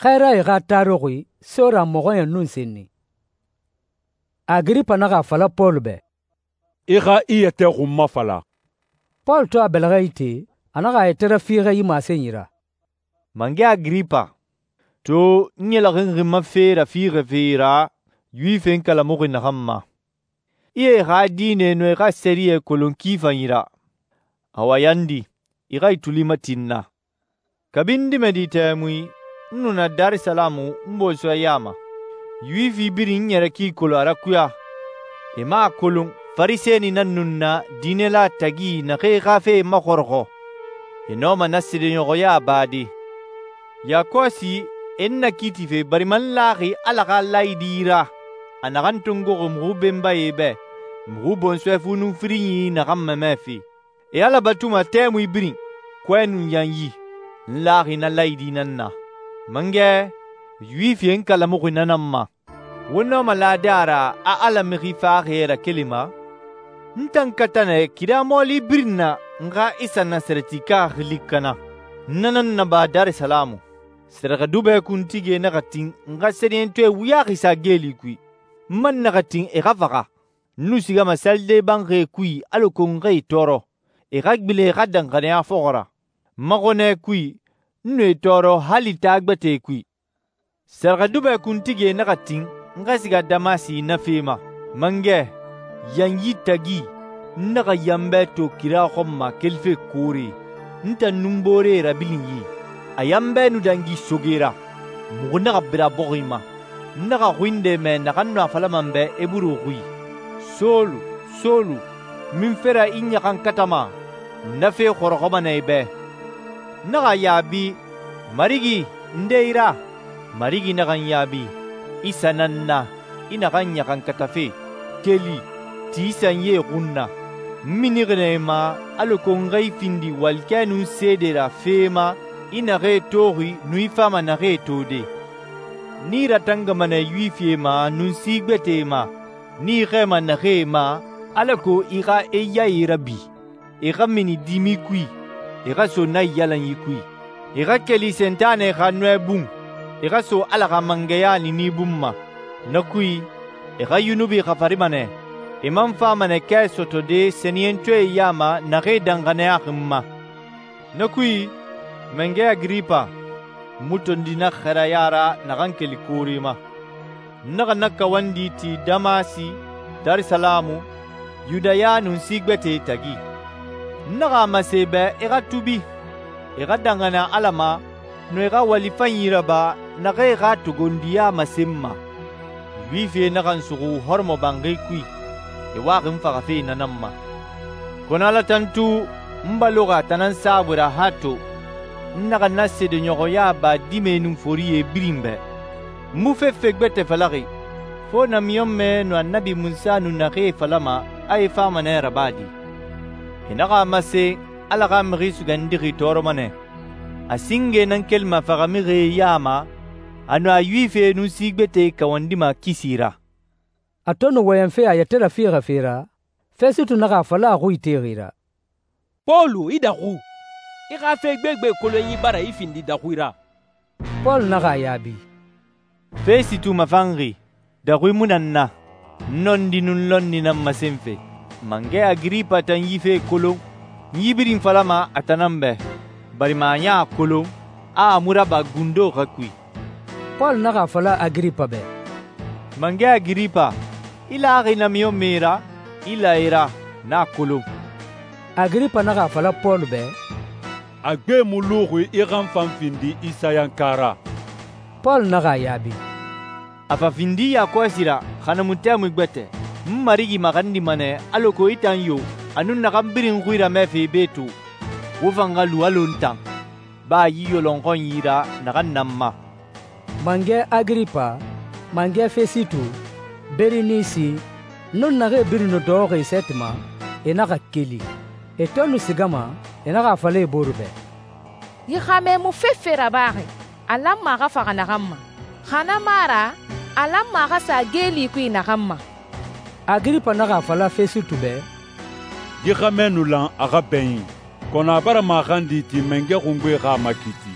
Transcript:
Xɛɛrae xa taruxi sora mɔxɔɲɛn nun senni. Agiripa naxa a fala Pɔlu bɛ, «I xa i yɛtɛ xun mafala.» Pɔlu to a bɛlɛxɛ ite, a naxa a yɛtɛ rafiixɛ yi masenyi ra. «Mangɛ Agiripa, to n ɲɛlɛxinxi n ma fe rafiixɛfe ra Yuwifie kalamuxi naxan ma. I e xa diinɛ nɔ i xa sɛriyɛ kolon ki fanyi ra. Awa yandi, i xa i tuli mati n na. Kabi n dimɛdi tɛmui, n nu na Darisalamu n bɔnsɔɛ ya ma. Yuwifi birin n ɲɛrɛ ki kolon a rakuya. E mu a kolon Farisɛni nan nu n na diinɛla tagi naxee xa fe maxɔrɔxɔ. E nɔma na seedeɲɔxɔya bade. Yakɔsi e n nakiitife barima n laxi Ala xa laayidi ra, a naxan tongoxi muxu benbae bɛ, muxu bɔnsɔɛ fu nun firinyi naxan mamɛfe. E Ala batuma tɛmui birin, kɔɛ nun yanyi. N laxi na laayidi nan na. Mangɛ, Yuwifie kalamuxi na nan ma. Wo nɔma lade a ra a Ala mixi faxaxie rakelima? N tan kata nɛ kira mɔɔli birin na n xa Isa Nasarɛtika xili kana. N na nan naba Darisalamu. Sɛrɛxɛdubɛ kuntigie naxa tin n xa sɛniyɛntɔɛ wuyaxi sa geeli kui. N man naxa tin e xa faxa. N nu sigama salide banxie kui alako n xa e tɔɔrɔ. E xa gbilen e xa danxaniya fɔxɔ ra. N ma xɔnɛ kui, n nu e tɔɔrɔ hali taa gbɛtɛe kui. Sɛrɛxɛdubɛ kuntigie naxa tin n xa siga Damasi na fe ma. Mangɛ, yanyi tagi, n naxa yanbɛ to kira xɔn ma kelife koore. N tan nun booree rabilin yi. A yanbɛ nu dangi soge ra. Muxu naxa bira bɔxi ma. N naxa xui nde mɛ naxan nu a falama n bɛ eburu xui. Solu, Solu, min fera i ɲaxankatama? Na fe xɔrɔxɔma nɛ i bɛ. N naxa yaabi, Marigi, nde i ra? Marigi naxa n yaabi, Isa nan na, i naxan ɲaxankatafe. Keli, ti sanyie xun na. N minixi nɛ i ma alako n xa i findi walikɛ nun seede ra fe ma, i naxee toxi nun i fama naxee tode. Ni i ratangama nɛ Yuwifie ma nun si gbɛtɛe ma, ni i xɛɛma naxee ma, alako i xa e yae rabi. E xa mini dimi kui, e xa so naiyalanyi kui. E xa keli Sentanɛ xa nɔɛ bun, e xa so Ala xa mangɛya niini bun ma. Na kui, e xa yunubi xafarima nɛ. E man fama nɛ kɛ sɔtɔde sɛniyɛntɔɛe ya ma naxee danxaniyaxi n ma. Na kui, Mangɛ Agiripa, n mu tondi na xɛrɛya ra naxan keli koore ma. N naxa na kawandi ti Damasi, Darisalamu, Yudaya nun si gbɛtɛe tagi. N naxa a masen e bɛ e xa tubi, e xa danxaniya Ala ma, nun e xa wali fanyi raba naxee xa togondiya masen n ma. Yuwifie naxa n suxu hɔrɔmɔbanxi kui, e waxi n faxafe na nan ma. Kɔnɔ Ala tantu n baloxi a tan nan saabui ra hato n naxa na seedeɲɔxɔya ba dimɛe nun forie birin bɛ. N mu fefe gbɛtɛ falaxi, fo namiɲɔnmɛ nun Annabi Munsa nun naxee falama a e fama nɛ rabadi. E naxa a masen Ala xa Mixi Sugandixi tɔɔrɔma nɛ. A singe nan kelima faxamixie ya ma, a nu a Yuwifie nun si gbɛtɛe kawandima kisi ra.» A to nu wɔyɛnfe a yɛtɛ rafiixɛfe ra, Fɛsitu naxa a fala a xui itexi ra, «Pɔlu, i daxu! I xa fe gbegbe kolonyi bara i findi daxui ra.» Pɔlu naxa a yaabi, «Fɛsitu mafanxi, daxui mu nan na. N nɔndi nun lɔnni nan masenfe. Mangɛ Agiripa tan yi fe kolon. N yi birin falama a tan nan bɛ, barima a ɲa a kolon a mu raba gundo xa kui.» Pɔlu naxa a fala Agiripa bɛ, «Mangɛ Agiripa, i laxi namiɲɔnmɛe ra, i la i ra, n'a kolon.» Agiripa naxa a fala Pɔlu bɛ, A gbe mu luxi i xa n fan findi Isayanka ra. Pɔlu naxa a yaabi, «A fa findi yakɔsi ra xa na mu tɛmui gbɛtɛ. N Marigi maxandima nɛ alako i tan yo, a nun naxan birin xui ramɛfe be to, wo fan xa lu alɔ n tan, baa yi yɔlɔnxɔnyi ra naxan nan ma.» Mangɛ Agiripa, Mangɛ Fɛsitu, Berinisi, nun naxee birin nu dɔxɔxi sɛti ma, e naxa keli. E to nu sigama, e naxa a fala e boru bɛ, «Yi xɛmɛ mu fefe rabaxi, a lanma a xa faxa naxan ma. Xa na mu a ra, a lanma a xa sa geeli kui naxan ma.» Agiripa naxa a fala Fɛsitu bɛ, Yi xɛmɛ nu lan a xa bɛn yi, kɔnɔ a bara maxandi ti mangɛ xungbe xa makiti.